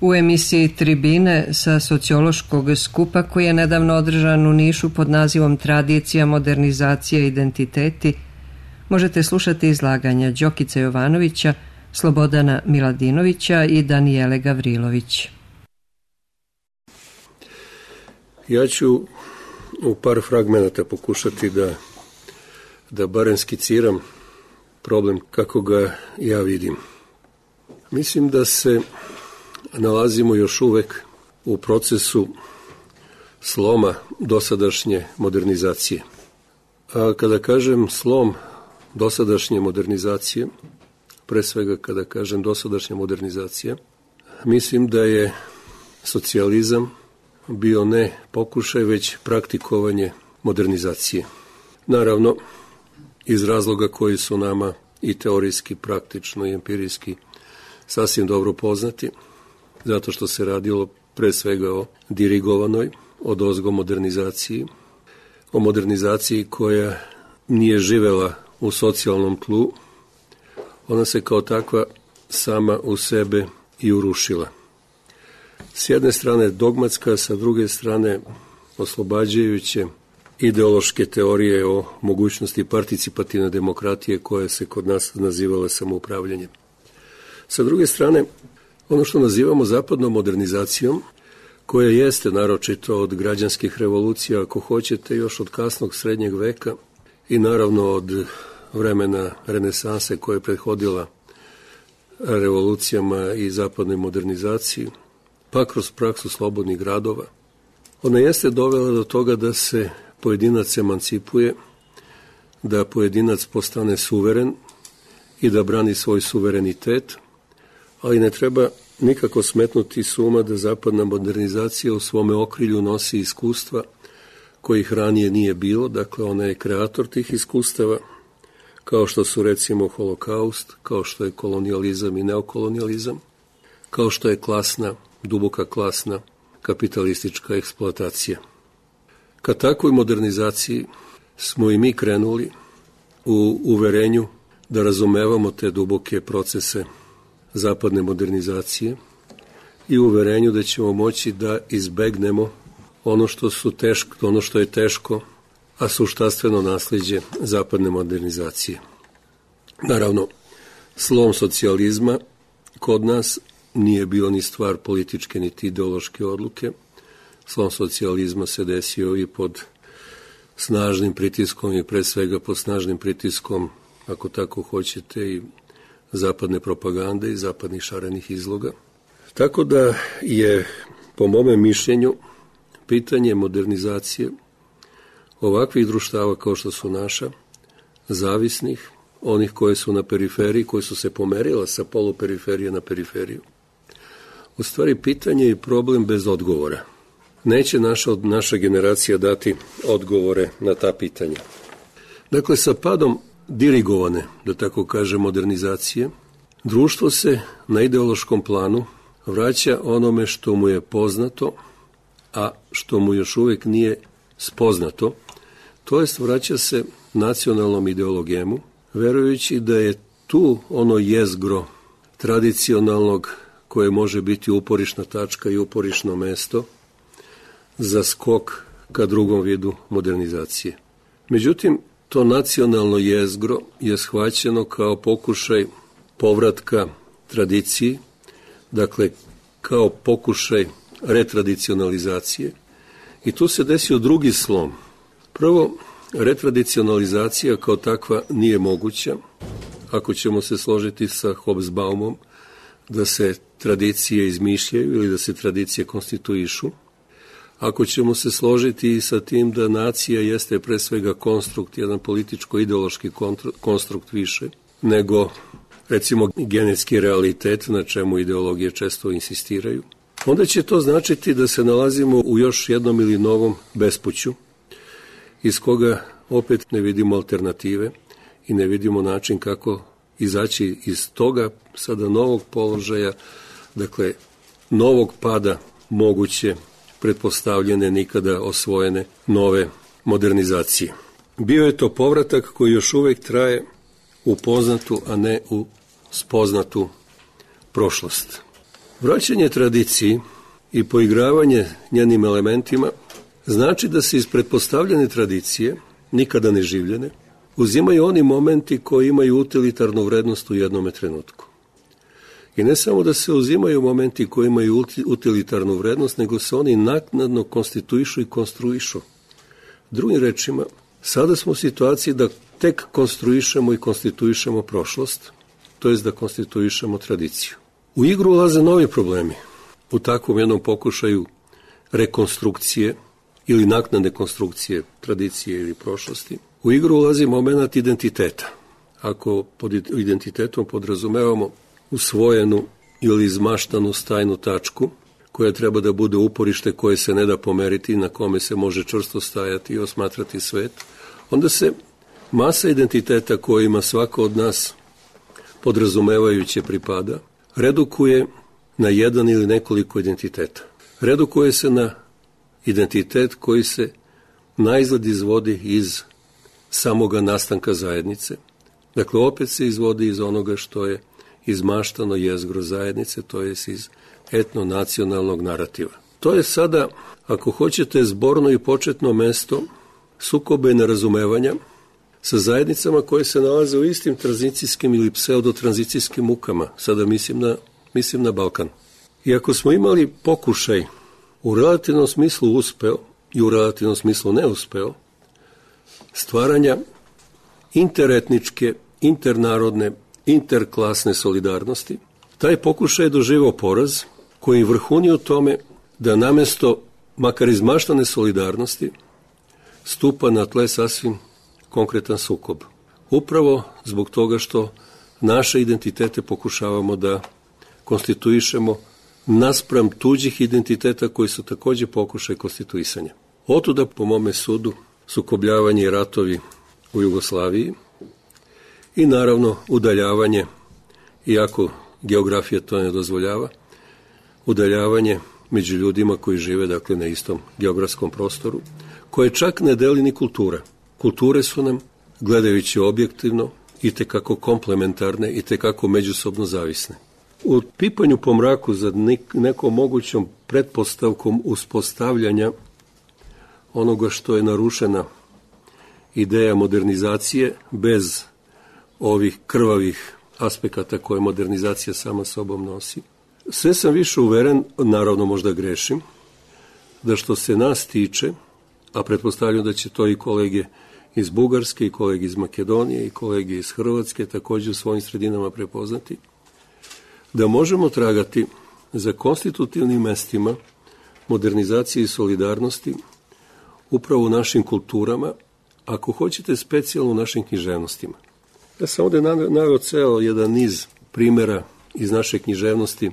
U emisiji Tribine sa sociološkog skupa koji je nedavno održan u Nišu pod nazivom Tradicija, modernizacija, identiteti, možete slušati izlaganja Đokice Jovanovića, Slobodana Miladinovića i Danijele Gavrilović. Ja ću u par fragmenata pokušati da barem skiciram problem kako ga ja vidim. Mislim da se nalazimo još uvek u procesu sloma dosadašnje modernizacije. A kada kažem slom dosadašnje modernizacije, pre svega kada kažem dosadašnja modernizacija, mislim da je socijalizam bio ne pokušaj, već praktikovanje modernizacije. Naravno, iz razloga koji su nama i teorijski, praktično i empirijski sasvim dobro poznati, zato što se radilo pre svega o dirigovanoj, odozgo modernizaciji, o modernizaciji koja nije živela u socijalnom tlu, ona se kao takva sama u sebe i urušila. S jedne strane dogmatska, sa druge strane oslobađajuće ideološke teorije o mogućnosti participativne demokratije koja se kod nas nazivala samoupravljanjem. Sa druge strane, ono što nazivamo zapadnom modernizacijom, koja jeste naročito od građanskih revolucija, ako hoćete, još od kasnog srednjeg veka i naravno od vremena renesanse koja je prethodila revolucijama i zapadnoj modernizaciji, pa kroz praksu slobodnih gradova. Ona jeste dovela do toga da se pojedinac emancipuje, da pojedinac postane suveren i da brani svoj suverenitet, ali ne treba nikako smetnuti s uma da zapadna modernizacija u svome okrilju nosi iskustva kojih ranije nije bilo, dakle ona je kreator tih iskustava, kao što su recimo holokaust, kao što je kolonijalizam i neokolonijalizam, kao što je klasna, duboka klasna kapitalistička eksploatacija. Ka takvoj modernizaciji smo i mi krenuli u uverenju da razumevamo te duboke procese zapadne modernizacije i u uverenju da ćemo moći da izbegnemo ono što je teško, a suštastveno nasleđe zapadne modernizacije. Naravno, slom socijalizma kod nas nije bio ni stvar političke niti ideološke odluke. Slom socijalizma se desio i pod snažnim pritiskom i pre svega pod snažnim pritiskom, ako tako hoćete, i zapadne propagande i zapadnih šarenih izloga. Tako da je, po mome mišljenju, pitanje modernizacije ovakvih društava kao što su naša, zavisnih, onih koje su na periferiji, koje su se pomerila sa poluperiferije na periferiju. U stvari, pitanje i problem bez odgovora. Neće naša generacija dati odgovore na ta pitanja. Dakle, sa padom dirigovane, da tako kaže, modernizacije, društvo se na ideološkom planu vraća onome što mu je poznato, a što mu još uvek nije spoznato, to jest vraća se nacionalnom ideologijemu, verujući da je tu ono jezgro tradicionalnog koje može biti uporišna tačka i uporišno mesto za skok ka drugom vidu modernizacije. Međutim, to nacionalno jezgro je shvaćeno kao pokušaj povratka tradiciji, dakle kao pokušaj retradicionalizacije, i tu se desio drugi slom. Prvo, retradicionalizacija kao takva nije moguća, ako ćemo se složiti sa Hobsbaumom da se tradicije izmišljaju ili da se tradicije konstituišu. Ako ćemo se složiti i sa tim da nacija jeste pre svega konstrukt, jedan političko-ideološki konstrukt više, nego recimo genetski realitet, na čemu ideologije često insistiraju, onda će to značiti da se nalazimo u još jednom ili novom bespuću, iz koga opet ne vidimo alternative i ne vidimo način kako izaći iz toga sada novog položaja, dakle novog pada moguće pretpostavljene, nikada osvojene nove modernizacije. Bio je to povratak koji još uvek traje u poznatu, a ne u spoznatu prošlost. Vraćanje tradiciji i poigravanje njenim elementima znači da se iz pretpostavljene tradicije, nikada ne življene, uzimaju oni momenti koji imaju utilitarnu vrednost u jednome trenutku. I ne samo da se uzimaju momenti koji imaju utilitarnu vrednost, nego se oni naknadno konstituišu i konstruišu. Drugim rečima, sada smo u situaciji da tek konstruišemo i konstituišemo prošlost, to jest da konstituišemo tradiciju. U igru ulaze novi problemi. U takvom jednom pokušaju rekonstrukcije ili naknadne konstrukcije tradicije ili prošlosti, u igru ulazi moment identiteta. Ako pod identitetom podrazumevamo usvojenu ili izmaštanu stajnu tačku, koja treba da bude uporište koje se ne da pomeriti, na kome se može čvrsto stajati i osmatrati svet, onda se masa identiteta kojima svako od nas podrazumevajuće pripada, redukuje na jedan ili nekoliko identiteta. Redukuje se na identitet koji se naizgled izvodi iz samoga nastanka zajednice. Dakle, opet se izvodi iz onoga što je izmaštano jezgro zajednice, to je iz etno-nacionalnog narativa. To je sada, ako hoćete, zborno i početno mesto sukoba i nerazumevanja sa zajednicama koje se nalaze u istim tranzicijskim ili pseudotranzicijskim mukama. Sada mislim na Balkan. I ako smo imali pokušaj u relativnom smislu uspeo i u relativnom smislu neuspeo stvaranja interetničke, internarodne, interklasne solidarnosti, taj pokušaj je doživao poraz koji vrhuni u tome da namesto makar izmaštane solidarnosti stupa na tle sasvim konkretan sukob. Upravo zbog toga što naše identitete pokušavamo da konstituišemo naspram tuđih identiteta koji su također pokušaj konstituisanja. Otuda, po mome sudu, sukobljavanje i ratovi u Jugoslaviji i naravno udaljavanje, iako geografija to ne dozvoljava, udaljavanje među ljudima koji žive dakle na istom geografskom prostoru, koje čak ne deli ni kultura. Kulture su nam, gledajući objektivno, itekako komplementarne, itekako međusobno zavisne. U pipanju po mraku za nekom mogućom pretpostavkom uspostavljanja onoga što je narušena ideja modernizacije bez ovih krvavih aspekata koje modernizacija sama sobom nosi, sve sam više uveren, naravno možda grešim, da što se nas tiče, a pretpostavljam da će to i kolege iz Bugarske, i kolege iz Makedonije, i kolege iz Hrvatske također u svojim sredinama prepoznati, da možemo tragati za konstitutivnim mestima modernizacije i solidarnosti upravo u našim kulturama, ako hoćete specijalno u našim književnostima. Ja sam ovdje naveo ceo jedan niz primjera iz naše književnosti,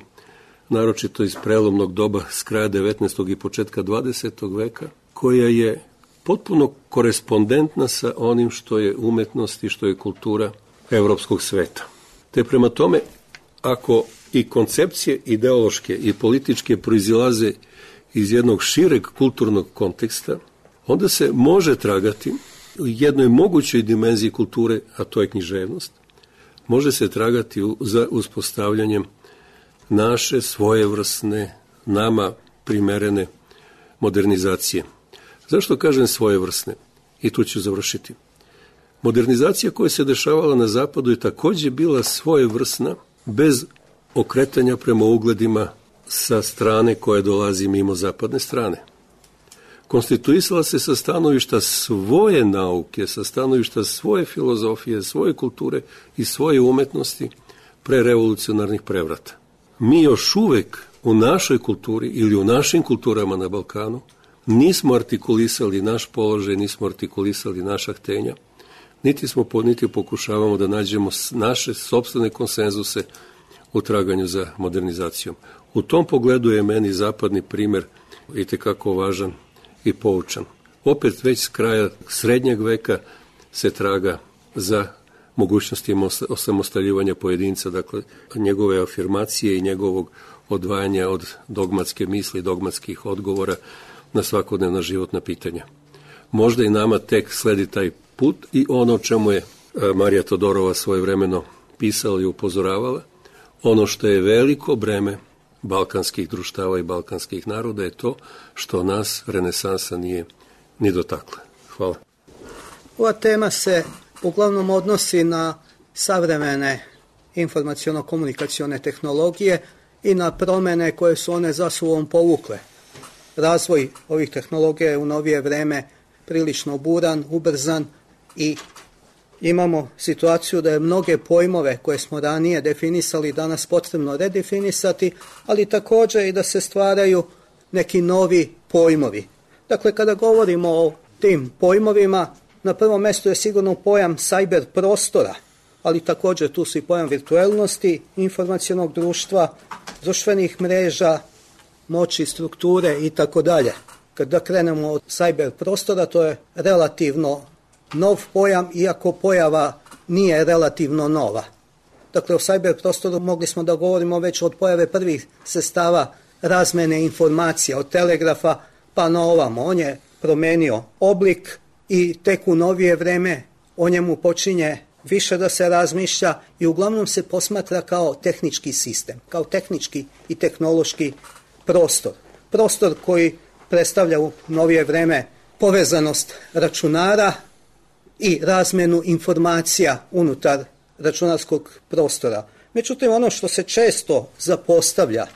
naročito iz prelomnog doba s kraja 19. i početka 20. veka, koja je potpuno korespondentna sa onim što je umetnost i što je kultura evropskog sveta. Te prema tome, ako i koncepcije ideološke i političke proizilaze iz jednog šireg kulturnog konteksta, onda se može tragati u jednoj mogućoj dimenziji kulture, a to je književnost, može se tragati za uspostavljanjem naše svojevrsne, nama primerene modernizacije. Zašto kažem svojevrsne? I tu ću završiti. Modernizacija koja se dešavala na zapadu je također bila svojevrsna, bez okretanja prema ugledima sa strane koje dolazi mimo zapadne strane. Konstituisala se sa stanovišta svoje nauke, sa stanovišta svoje filozofije, svoje kulture i svoje umetnosti pre revolucionarnih prevrata. Mi još uvek u našoj kulturi ili u našim kulturama na Balkanu nismo artikulisali naš položaj, nismo artikulisali naša htenja, niti pokušavamo da nađemo naše sopstvene konsenzuse u traganju za modernizacijom. U tom pogledu je meni zapadni primjer itekako važan i poučan. Opet već s kraja srednjeg veka se traga za mogućnostima osamostaljivanja pojedinca, dakle njegove afirmacije i njegovog odvajanja od dogmatske misli, dogmatskih odgovora na svakodnevna životna pitanja. Možda i nama tek sledi taj put i ono o čemu je Marija Todorova svojevremeno pisala i upozoravala, ono što je veliko breme balkanskih društava i balkanskih naroda je to što nas renesansa nije ni dotakla. Hvala. Ova tema se uglavnom odnosi na savremene informaciono-komunikacione tehnologije i na promjene koje su one za sobom povukle. Razvoj ovih tehnologija je u novije vreme prilično buran, ubrzan i imamo situaciju da je mnoge pojmove koje smo ranije definisali danas potrebno redefinisati, ali također i da se stvaraju neki novi pojmovi. Dakle, kada govorimo o tim pojmovima, na prvom mjestu je sigurno pojam cyber prostora, ali također tu su i pojam virtualnosti, informacionog društva, društvenih mreža, moći, strukture i tako dalje. Kada krenemo od cyber prostora, to je relativno nov pojam, iako pojava nije relativno nova. Dakle, o cyber prostoru mogli smo da govorimo već od pojave prvih sredstava razmene informacija, od telegrafa pa na ovamo. On je promenio oblik i tek u novije vreme o njemu počinje više da se razmišlja i uglavnom se posmatra kao tehnički sistem, kao tehnički i tehnološki prostor. Prostor koji predstavlja u novije vreme povezanost računara i razmenu informacija unutar računarskog prostora. Međutim, ono što se često zapostavlja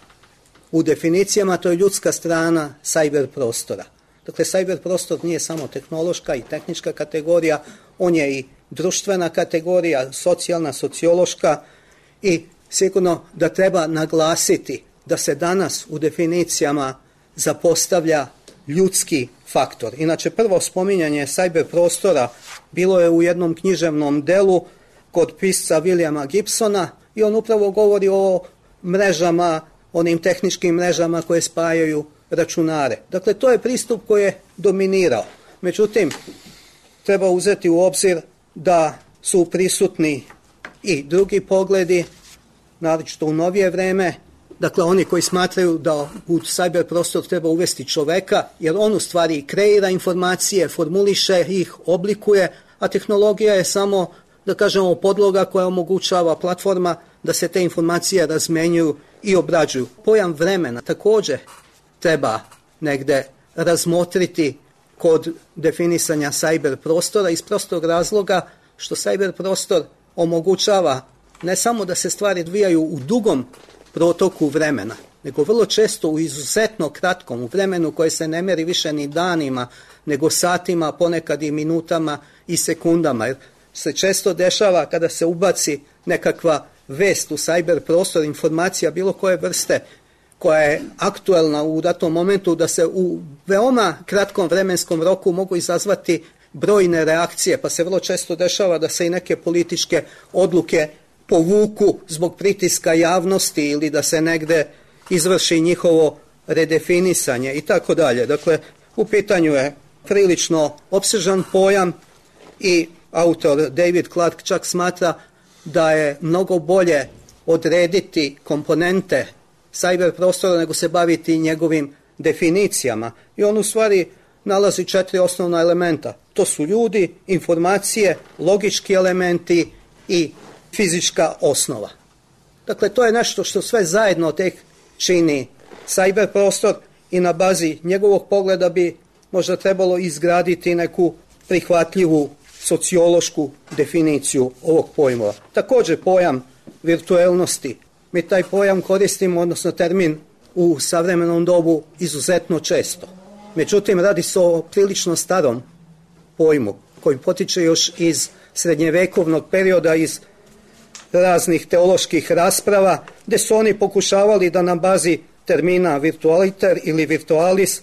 u definicijama, to je ljudska strana cyber prostora. Dakle, cyber prostor nije samo tehnološka i tehnička kategorija, on je i društvena kategorija, socijalna, sociološka i sigurno da treba naglasiti da se danas u definicijama zapostavlja ljudski faktor. Inače, prvo spominjanje cyber prostora bilo je u jednom književnom delu kod pisca Williama Gibsona i on upravo govori o mrežama, onim tehničkim mrežama koje spajaju računare. Dakle, to je pristup koji je dominirao. Međutim, treba uzeti u obzir da su prisutni i drugi pogledi, naročito u novije vreme. Dakle, oni koji smatraju da u cyber prostor treba uvesti čoveka, jer on u stvari kreira informacije, formuliše ih, oblikuje, a tehnologija je samo, da kažemo, podloga koja omogućava platforma da se te informacije razmenjuju i obrađuju. Pojam vremena također treba negde razmotriti kod definisanja cyber prostora iz prostog razloga što cyber prostor omogućava ne samo da se stvari odvijaju u dugom protoku vremena, nego vrlo često u izuzetno kratkom, u vremenu koje se ne meri više ni danima, nego satima, ponekad i minutama i sekundama. Jer se često dešava kada se ubaci nekakva vest u cyber prostor, informacija bilo koje vrste koja je aktuelna u datom momentu, da se u veoma kratkom vremenskom roku mogu izazvati brojne reakcije, pa se vrlo često dešava da se i neke političke odluke povuku zbog pritiska javnosti ili da se negde izvrši njihovo redefinisanje i tako dalje. Dakle, u pitanju je prilično opsežan pojam i autor David Clark čak smatra da je mnogo bolje odrediti komponente cyber prostora nego se baviti njegovim definicijama. I on u stvari nalazi 4 osnovna elementa. To su ljudi, informacije, logički elementi i fizička osnova. Dakle, to je nešto što sve zajedno tek čini cyber prostor i na bazi njegovog pogleda bi možda trebalo izgraditi neku prihvatljivu sociološku definiciju ovog pojmova. Također pojam virtualnosti. Mi taj pojam koristimo, odnosno termin u savremenom dobu izuzetno često. Međutim, radi se o prilično starom pojmu koji potiče još iz srednjevekovnog perioda, iz raznih teoloških rasprava, gdje su oni pokušavali da na bazi termina virtualiter ili virtualis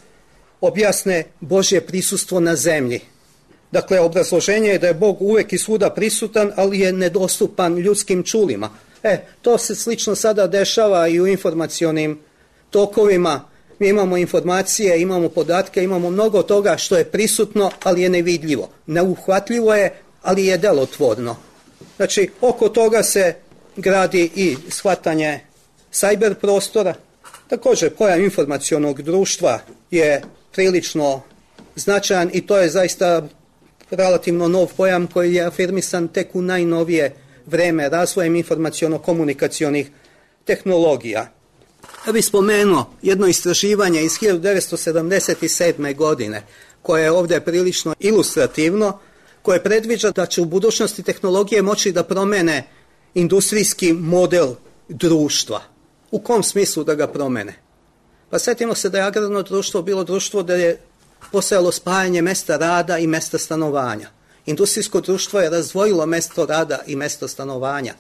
objasne Božje prisustvo na zemlji. Dakle, obrazloženje je da je Bog uvek i svuda prisutan, ali je nedostupan ljudskim čulima. To se slično sada dešava i u informacionim tokovima. Mi imamo informacije, imamo podatke, imamo mnogo toga što je prisutno, ali je nevidljivo. Neuhvatljivo je, ali je delotvorno. Znači, oko toga se gradi i shvatanje cyber prostora. Također, pojam informacionog društva je prilično značajan i to je zaista relativno nov pojam koji je afirmisan tek u najnovije vreme razvojem informaciono-komunikacionih tehnologija. Ja bih spomenuo jedno istraživanje iz 1977. godine, koje je ovdje prilično ilustrativno, koje predviđa da će u budućnosti tehnologije moći da promene industrijski model društva. U kom smislu da ga promene? Pa sjetimo se da je agrarno društvo bilo društvo da je postojalo spajanje mesta rada i mesta stanovanja. Industrijsko društvo je razdvojilo mesto rada i mesto stanovanja.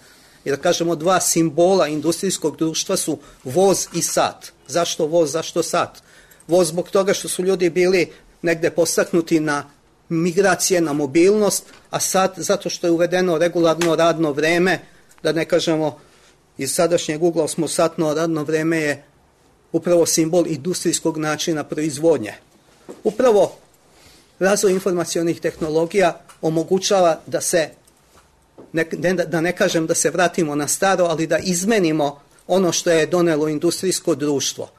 I da kažemo, dva simbola industrijskog društva su voz i sat. Zašto voz, zašto sat? Voz zbog toga što su ljudi bili negde postaknuti na migracije, na mobilnost, a sat zato što je uvedeno regularno radno vreme, da ne kažemo iz sadašnjeg ugla osmosatno radno vreme je upravo simbol industrijskog načina proizvodnje. Upravo razvoj informacionih tehnologija omogućava da se, da ne kažem da se vratimo na staro, ali da izmenimo ono što je donelo industrijsko društvo.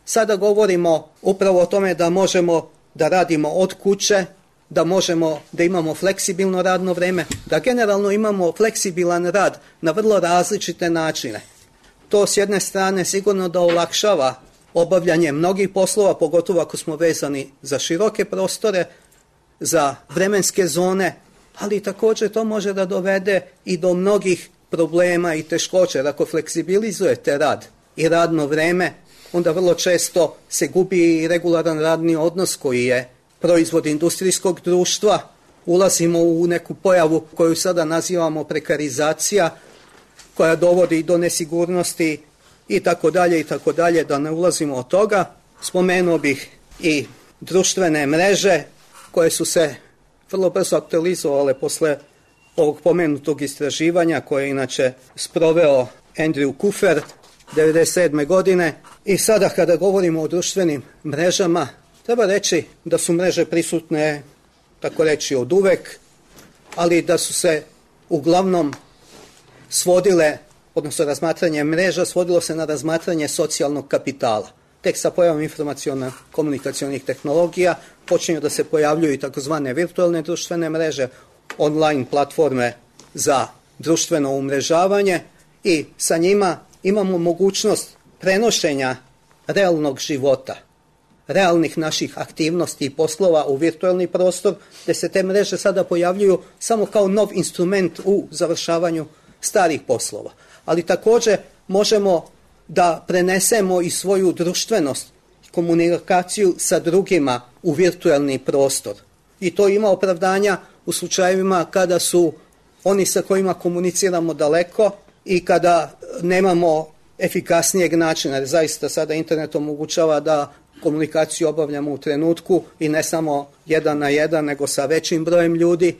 Sada govorimo upravo o tome da možemo da radimo od kuće, da možemo da imamo fleksibilno radno vreme, da generalno imamo fleksibilan rad na vrlo različite načine. To s jedne strane sigurno da olakšava obavljanje mnogih poslova, pogotovo ako smo vezani za široke prostore, za vremenske zone, ali također to može da dovede i do mnogih problema i teškoća. Jer ako fleksibilizujete rad i radno vreme, onda vrlo često se gubi i regularan radni odnos koji je proizvod industrijskog društva. Ulazimo u neku pojavu koju sada nazivamo prekarizacija, koja dovodi do nesigurnosti i tako dalje, da ne ulazimo od toga. Spomenuo bih i društvene mreže koje su se vrlo brzo aktualizovale posle ovog pomenutog istraživanja koje je inače sproveo Andrew Kufer 1997. godine. I sada kada govorimo o društvenim mrežama, treba reći da su mreže prisutne, tako reći, od uvek, ali da su se uglavnom svodile, odnosno razmatranje mreža, svodilo se na razmatranje socijalnog kapitala. Tek sa pojavom informaciono-komunikacionih tehnologija počinju da se pojavljuju i takozvane virtualne društvene mreže, online platforme za društveno umrežavanje i sa njima imamo mogućnost prenošenja realnog života, realnih naših aktivnosti i poslova u virtualni prostor, gde se te mreže sada pojavljuju samo kao nov instrument u završavanju starih poslova. Ali također možemo da prenesemo i svoju društvenost, komunikaciju sa drugima u virtualni prostor. I to ima opravdanja u slučajevima kada su oni sa kojima komuniciramo daleko i kada nemamo efikasnijeg načina. Jer zaista sada internet omogućava da komunikaciju obavljamo u trenutku i ne samo 1 na 1, nego sa većim brojem ljudi.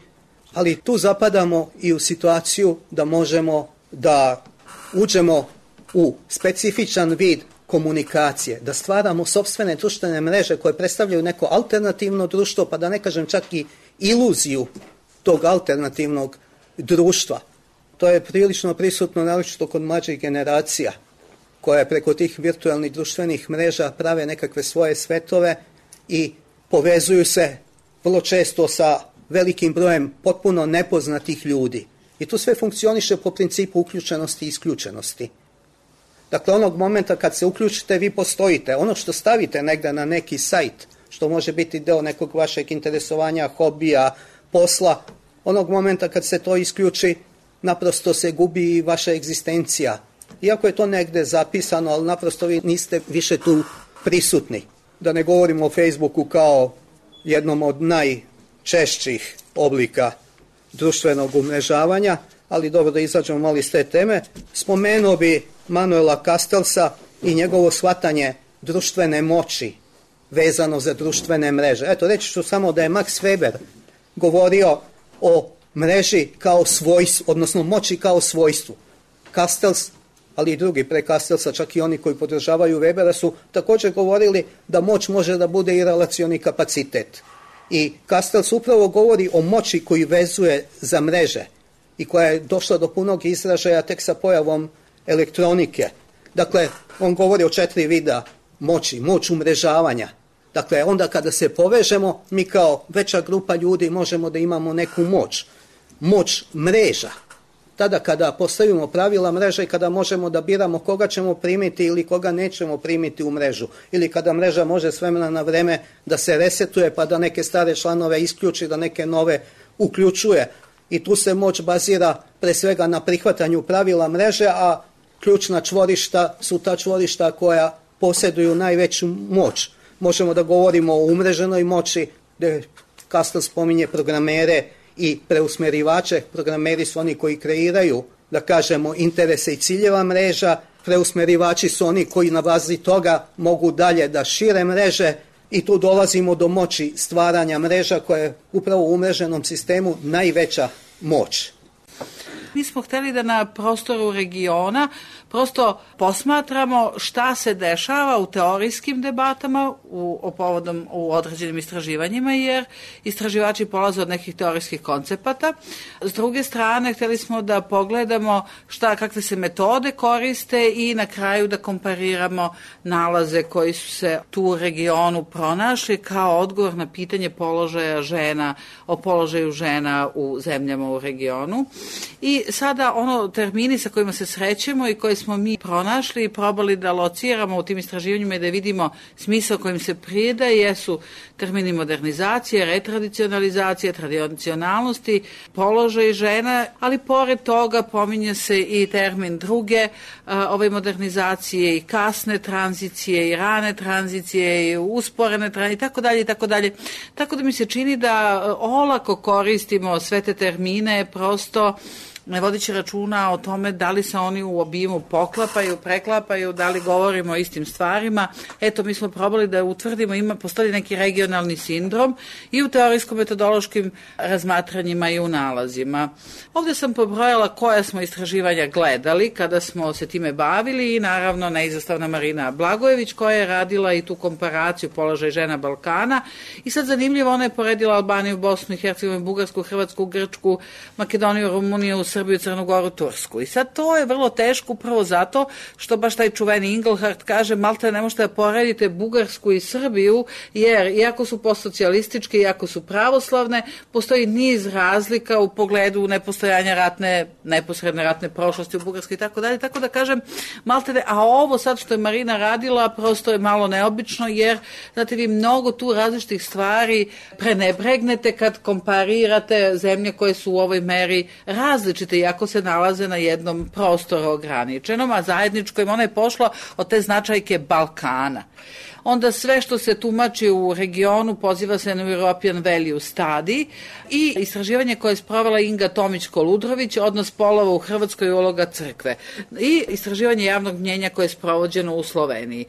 Ali tu zapadamo i u situaciju da možemo da uđemo u specifičan vid komunikacije, da stvaramo sopstvene društvene mreže koje predstavljaju neko alternativno društvo, pa da ne kažem čak i iluziju tog alternativnog društva. To je prilično prisutno, naročito kod mlađih generacija, koje preko tih virtualnih društvenih mreža prave nekakve svoje svetove i povezuju se vrlo često sa velikim brojem potpuno nepoznatih ljudi. I tu sve funkcioniše po principu uključenosti i isključenosti. Dakle, onog momenta kad se uključite, vi postojite. Ono što stavite negde na neki sajt, što može biti deo nekog vašeg interesovanja, hobija, posla, onog momenta kad se to isključi, naprosto se gubi i vaša egzistencija. Iako je to negde zapisano, ali naprosto vi niste više tu prisutni. Da ne govorimo o Facebooku kao jednom od najčešćih oblika društvenog umrežavanja, ali dobro da izađemo malo iz te teme. Spomenuo bi Manuela Castellsa i njegovo shvatanje društvene moći vezano za društvene mreže. Eto, reći ću samo da je Max Weber govorio o mreži kao svojstvu, odnosno moći kao svojstvu. Castells, ali i drugi pre Castellsa, čak i oni koji podržavaju Webera, su također govorili da moć može da bude i relacioni kapacitet. I Castells upravo govori o moći koji vezuje za mreže i koja je došla do punog izražaja tek sa pojavom elektronike. Dakle, on govori o 4 vida moći. Moć umrežavanja. Dakle, onda kada se povežemo, mi kao veća grupa ljudi možemo da imamo neku moć. Moć mreža. tada kada postavimo pravila mreže i kada možemo da biramo koga ćemo primiti ili koga nećemo primiti u mrežu, ili kada mreža može s vremena na vreme da se resetuje pa da neke stare članove isključi, da neke nove uključuje. I tu se moć bazira pre svega na prihvatanju pravila mreže, a ključna čvorišta su ta čvorišta koja posjeduju najveću moć. Možemo da govorimo o umreženoj moći, gde Kastel spominje programere i preusmerivače. Programeri su oni koji kreiraju, da kažemo, interese i ciljeva mreža. Preusmerivači su oni koji na bazi toga mogu dalje da šire mreže i tu dolazimo do moći stvaranja mreža koja je upravo u umreženom sistemu najveća moć. Mi smo hteli da na prostoru regiona prosto posmatramo šta se dešava u teorijskim debatama u određenim istraživanjima, jer istraživači polaze od nekih teorijskih koncepata. S druge strane, hteli smo da pogledamo kakve se metode koriste i na kraju da kompariramo nalaze koji su se tu u regionu pronašli kao odgovor na pitanje položaja žena, o položaju žena u zemljama u regionu. I sada termini sa kojima se srećemo i koje smo mi pronašli i probali da lociramo u tim istraživanjima i da vidimo smisao kojim se pridaje jesu termini modernizacije, retradicionalizacije, tradicionalnosti, položaj žena, ali pored toga pominje se i termin druge modernizacije i kasne tranzicije i rane tranzicije i usporene tranzicije i tako dalje. Tako da mi se čini da olako koristimo sve te termine, prosto ne vodići računa o tome da li se oni u obimu poklapaju, preklapaju, da li govorimo o istim stvarima. Eto, mi smo probali da utvrdimo, postoji neki regionalni sindrom i u teorijsko-metodološkim razmatranjima i u nalazima. Ovdje sam pobrojala koja smo istraživanja gledali kada smo se time bavili i naravno neizostavna Marina Blagojević koja je radila i tu komparaciju položaj žena Balkana. I sad zanimljivo, ona je poredila Albaniju, Bosnu i Hercegovinu, Bugarsku, Hrvatsku, Grčku, Makedoniju, Rumuniju, Srbiju, Crnu Goru, Tursku. I sad to je vrlo teško upravo zato što baš taj čuveni Inglehart kaže malte ne možete da poredite Bugarsku i Srbiju jer iako su postsocijalističke, iako su pravoslavne, postoji niz razlika u pogledu nepostojanja neposredne ratne prošlosti u Bugarskoj i tako dalje. Tako da kažem malte ne, a ovo sad što je Marina radila prosto je malo neobično jer znate vi mnogo tu različitih stvari prenebregnete kad komparirate zemlje koje su u ovoj meri različite iako se nalaze na jednom prostoru ograničenom, a zajedničko im ona je pošla od te značajke Balkana. Onda sve što se tumači u regionu poziva se na European Value Study i istraživanje koje je sprovela Inga Tomić-Koludrović, odnos polova u Hrvatskoj i uloga crkve i istraživanje javnog mnjenja koje je sprovođeno u Sloveniji.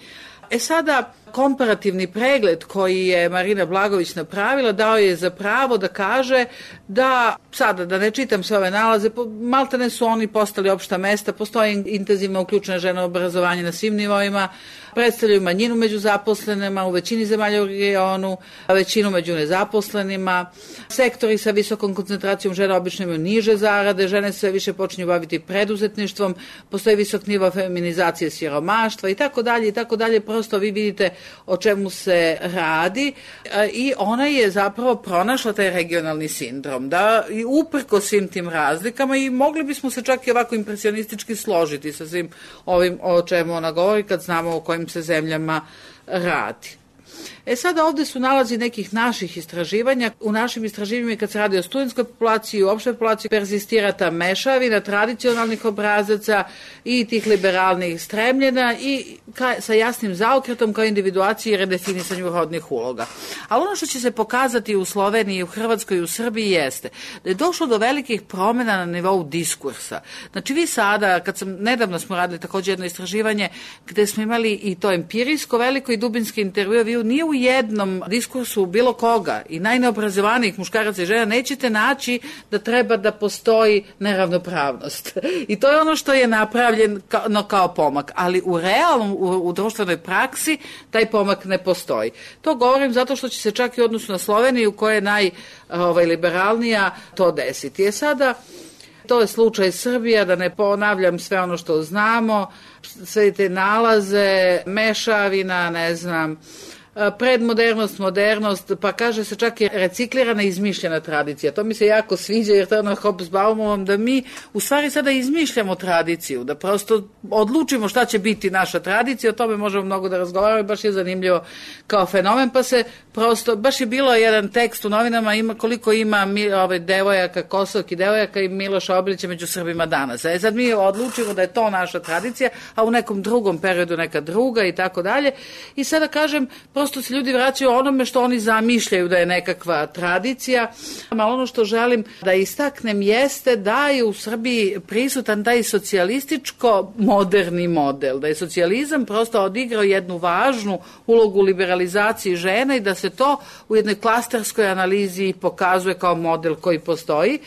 Sada, komparativni pregled koji je Marina Blagojević napravila dao je za pravo da kaže da, sada da ne čitam sve ove nalaze, maltene su oni postali opšta mesta, postoje intenzivno uključene žene u obrazovanje na svim nivoima, predstavljaju manjinu među zaposlenima u većini zemalja u regionu, većinu među nezaposlenima, sektori sa visokom koncentracijom žena obično imaju niže zarade, žene sve više počinju baviti preduzetništvom, postoji visok nivo feminizacije siromaštva i tako dalje, prosto vi vidite o čemu se radi i ona je zapravo pronašla taj regionalni sindrom, da i uprko svim tim razlikama i mogli bismo se čak i ovako impresionistički složiti sa svim ovim o čemu ona govori kad znamo o kojim se zemljama radi. Sada ovdje su nalazi nekih naših istraživanja. U našim istraživanjima kad se radi o studentskoj populaciji i opštoj populaciji perzistira ta mešavina tradicionalnih obrazaca i tih liberalnih stremljena i sa jasnim zaokretom kao individuaciji i redefinisanju rodnih uloga. Ali ono što će se pokazati u Sloveniji, u Hrvatskoj i u Srbiji jeste da je došlo do velikih promjena na nivou diskursa. Znači vi sada, nedavno smo radili također jedno istraživanje gde smo imali i to empirijsko veliko i dubinski intervju, vi nije u jednom diskursu bilo koga i najneobrazovanijih muškaraca i žena nećete naći da treba da postoji neravnopravnost. I to je ono što je napravljeno kao pomak, ali u realnom, u društvenoj praksi taj pomak ne postoji. To govorim zato što će se čak i u odnosu na Sloveniju koja je najliberalnija to desiti. Sada to je slučaj Srbija, da ne ponavljam sve ono što znamo, sve te nalaze, mešavina, predmodernost, modernost, pa kaže se čak i reciklirana i izmišljena tradicija. To mi se jako sviđa jer to je ono Hobsbaumovom da mi u stvari sada izmišljamo tradiciju, da prosto odlučimo šta će biti naša tradicija, o tome možemo mnogo da razgovaramo i baš je zanimljivo kao fenomen, pa se prosto, baš je bilo jedan tekst u novinama koliko ima devojaka, kosovki devojaka i Miloša Obilića među Srbima danas. Sad mi odlučimo da je to naša tradicija, a u nekom drugom periodu neka druga i tako dalje. I sada kažem, prosto se ljudi vraćaju onome što oni zamišljaju da je nekakva tradicija, ali ono što želim da istaknem jeste da je u Srbiji prisutan taj socijalističko-moderni model, da je socijalizam prosto odigrao jednu važnu ulogu u liberalizaciji žena i da se to u jednoj klasterskoj analizi pokazuje kao model koji postoji.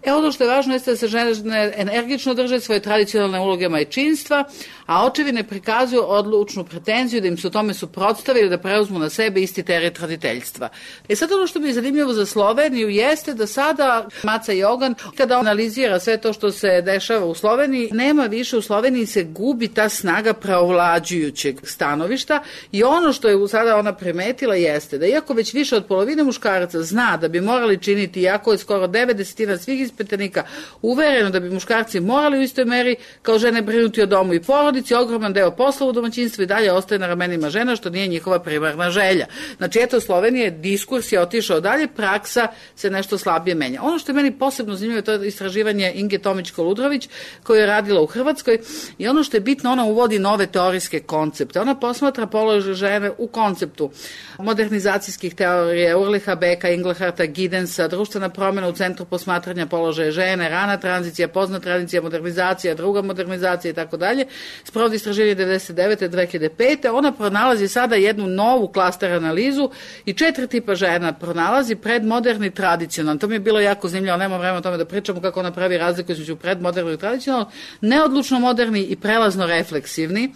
Ono što je važno jeste da se žene energično drže svoje tradicionalne uloge majčinstva, a očevi ne prikazuju odlučnu pretenziju da im se u tome suprotstavili da preuzmu na sebe isti teret roditeljstva. Sad ono što mi je zanimljivo za Sloveniju jeste da sada Maca Jogan, kada analizira sve to što se dešava u Sloveniji, nema više u Sloveniji, se gubi ta snaga preovlađujućeg stanovišta i ono što je sada ona primetila jeste da iako već više od polovine muškaraca zna da bi morali činiti, iako je skoro 90% svih ispitanika uvereno da bi muškarci morali u istoj meri kao žene brinuti o domu i porodici, ogroman deo posla u domaćinstvu i dalje ostaje na ramenima žena, što nije njihova primarna želja. Znači, eto, Slovenije, diskurs je otišao dalje, praksa se nešto slabije menja. Ono što je meni posebno zanimljivo, to je istraživanje Inge Tomić-Koludrović, koju je radila u Hrvatskoj, i ono što je bitno, ona uvodi nove teorijske koncepte. Ona posmatra položaj žene u konceptu modernizacijskih teorija, Urliha Beka, Ingleharta, Gidensa, društvena promjena u centru posmatranja položaja žene, rana tranzicija, pozna tranzicija, modernizacija, druga modernizacija i tako dalje. Sprovodi istraživanje 99. 2005. Ona pronalazi sada jednu novu klaster analizu i 4 tipa žena pronalazi: predmoderni, tradicionalni. To mi je bilo jako zanimljivo, nema vremena o tome da pričamo kako ona pravi razliku između predmoderni i tradicionalni, neodlučno moderni i prelazno refleksivni.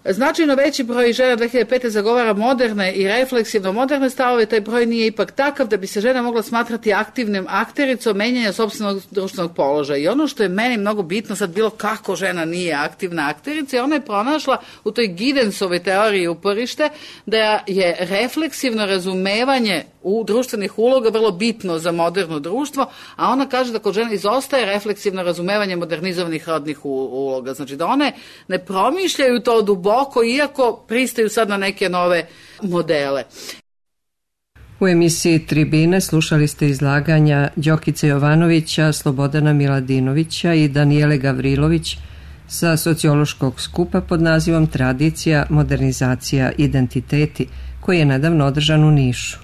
Značajno veći broj žena 2005. zagovara moderne i refleksivno moderne stavove, taj broj nije ipak takav da bi se žena mogla smatrati aktivnim aktericom menjanja sopstvenog društvenog položaja. I ono što je meni mnogo bitno sad bilo kako žena nije aktivna akterica, ona je pronašla u toj Gidensovoj teoriji uporište da je refleksivno razumevanje u društvenih uloga vrlo bitno za moderno društvo, a ona kaže da kod žena izostaje refleksivno razumevanje modernizovanih rodnih uloga. Znači da one ne promišljaju to duboko, iako pristaju sad na neke nove modele. U emisiji Tribine slušali ste izlaganja Đokice Jovanovića, Slobodana Miladinovića i Danijele Gavrilović sa sociološkog skupa pod nazivom Tradicija, modernizacija, identiteti, koji je nedavno održan u Nišu.